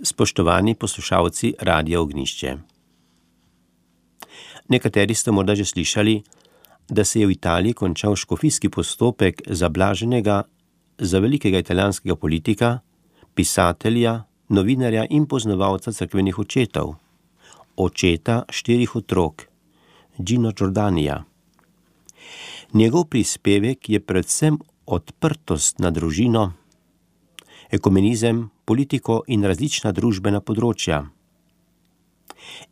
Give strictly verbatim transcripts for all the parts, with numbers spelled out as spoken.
Spoštovani poslušalci Radia Ognjišče. Nekateri ste morda že slišali, da se je v Italiji končal škofijski postopek za blaženega, za velikega italijanskega politika, pisatelja, novinarja in poznavalca cerkvenih očetov, očeta štirih otrok, Gino Giordanija. Njegov prispevek je predvsem odprtost na družino, ekumenizem, politiko in različna družbena področja.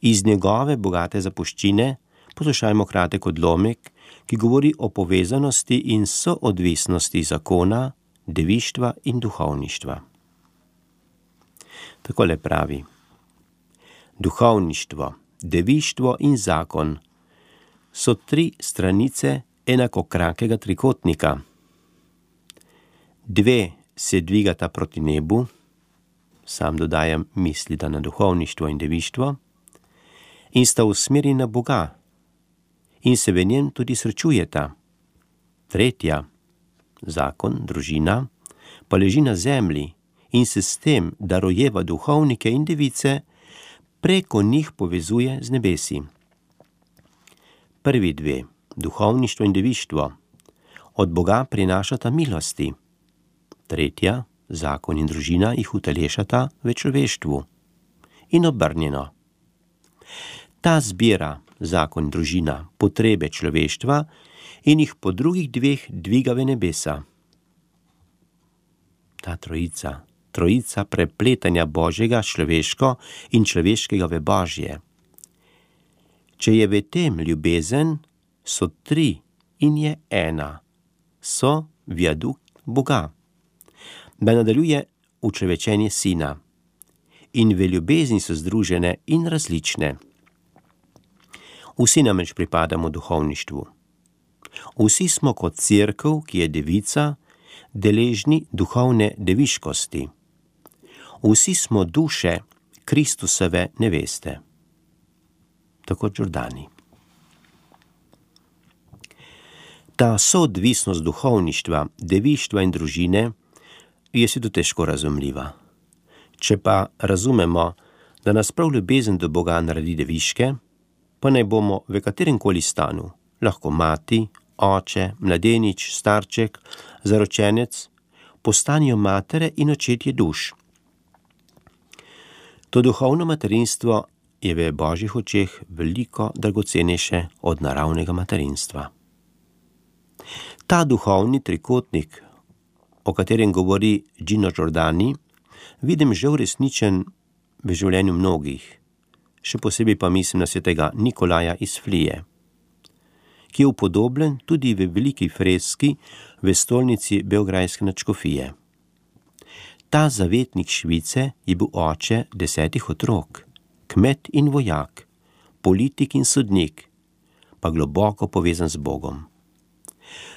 Iz njegove bogate zapuščine poslušajmo kratek odlomek, ki govori o povezanosti in soodvisnosti zakona, devištva in duhovništva. Takole pravi: duhovništvo, devištvo in zakon so tri stranice enakokrakega trikotnika. Dve se dvigata proti nebu, sam dodajam misli da na duhovništvo in devištvo, in sta usmerjeni na Boga in se v njem tudi srečujeta. Tretja, zakon, družina, pa leži na zemlji in se s tem, da rojeva duhovnike in device, preko njih povezuje z nebesi. Prvi dve, duhovništvo in devištvo, od Boga prinašata milosti. Tretja, zakon in družina, jih utelešata v človeštvu. In obrnjeno. Ta zbira, zakon in družina, potrebe človeštva in jih po drugih dveh dviga v nebesa. Ta trojica, trojica prepletanja Božjega človeško in človeškega v Božje. Če je v tem ljubezen, so tri in je ena, so viadukt Boga. Da nadaljuje učlovečenje Sina. In v ljubezni so združene in različne. Vsi namreč pripadamo duhovništvu. Vsi smo kot cerkev, ki je devica, deležni duhovne deviškosti. Vsi smo duše Kristusove neveste. Tako Giordani. Ta soodvisnost duhovništva, devištva in družine je si to težko razumljiva. Če pa razumemo, da nas prav ljubezen do Boga naredi deviške, pa naj bomo v katerem koli stanu, lahko mati, oče, mladenič, starček, zaročenec, postanijo matere in očetje duš. To duhovno materinstvo je v Božjih očeh veliko dragocenejše od naravnega materinstva. Ta duhovni trikotnik, o katerem govori Gino Giordani, vidim že uresničen v življenju mnogih, še posebej pa mislim na svetega Nikolaja iz Flije, ki je upodobljen tudi v veliki freski v stolnici beograjske nadškofije. Ta zavetnik Švice je bil oče desetih otrok, kmet in vojak, politik in sodnik, pa globoko povezan z Bogom.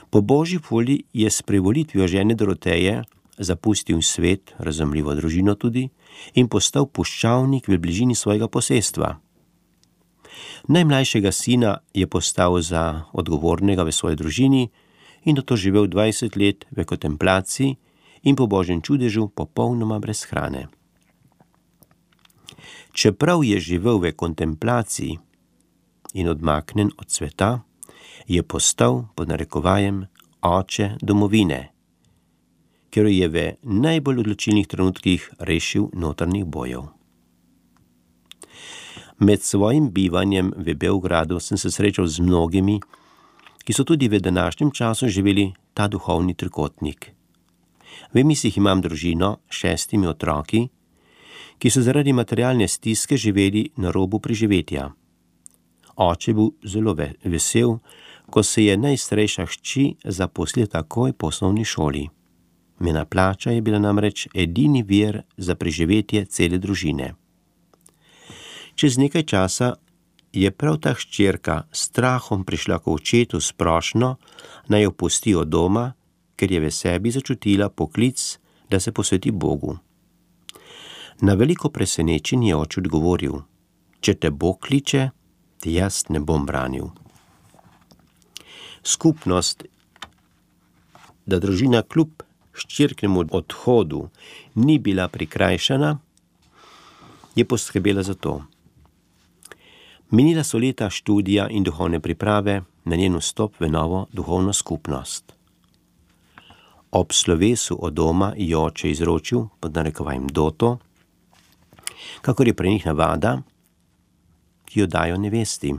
Po Božji volji je s privolitvijo žene Doroteje zapustil svet, razumljivo družino tudi, in postal puščavnik v bližini svojega posestva. Najmlajšega sina je postal za odgovornega v svoji družini in nato živel dvajset let v kontemplaciji in po Božjem čudežu popolnoma brez hrane. Čeprav je živel v kontemplaciji in odmaknen od sveta, je postal, pod narekovajem, oče domovine, ker je v najbolj odločilnih trenutkih rešil notranjih bojev. Med svojim bivanjem v Beogradu sem se srečal z mnogimi, ki so tudi v današnjem času živeli ta duhovni trikotnik. V mislih imam družino s šestimi otroki, ki so zaradi materialne stiske živeli na robu preživetja. Oče bil zelo vesel, ko se je najstarejša hči zaposlila takoj po osnovni šoli. Njena plača je bila namreč edini vir za preživetje cele družine. Čez nekaj časa je prav ta hčerka s strahom prišla k očetu s prošnjo, naj jo pusti od doma, ker je v sebi začutila poklic, da se posveti Bogu. Na veliko presenečenje je oče odgovoril: če te Bog kliče, te jaz ne bom branil. Skupnost, da družina kljub hčerknemu odhodu ni bila prikrajšana, je poskrbela za to. Minila so leta študija in duhovne priprave na njen vstop v novo duhovno skupnost. Ob slovesu od doma je oče izročil, pod narekovajem doto, kakor je pri njih navada, ki jo dajo nevesti.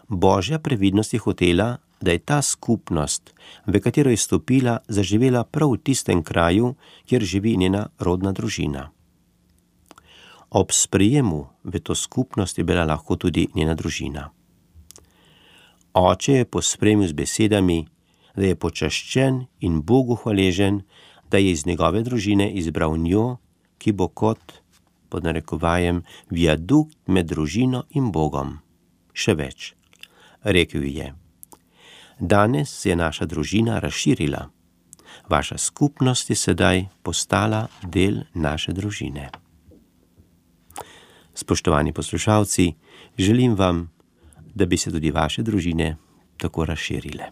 Božja previdnost je hotela, da je ta skupnost, v katero je stopila, zaživela prav v tistem kraju, kjer živi njena rodna družina. Ob sprejemu v to skupnost je bila lahko tudi njena družina. Oče je pospremil z besedami, da je počaščen in Bogu hvaležen, da je iz njegove družine izbral njo, ki bo kot, pod narekovajem, viadukt med družino in Bogom. Še več, rekel je: danes se je naša družina razširila. Vaša skupnost je sedaj postala del naše družine. Spoštovani poslušalci, želim vam, da bi se tudi vaše družine tako razširile.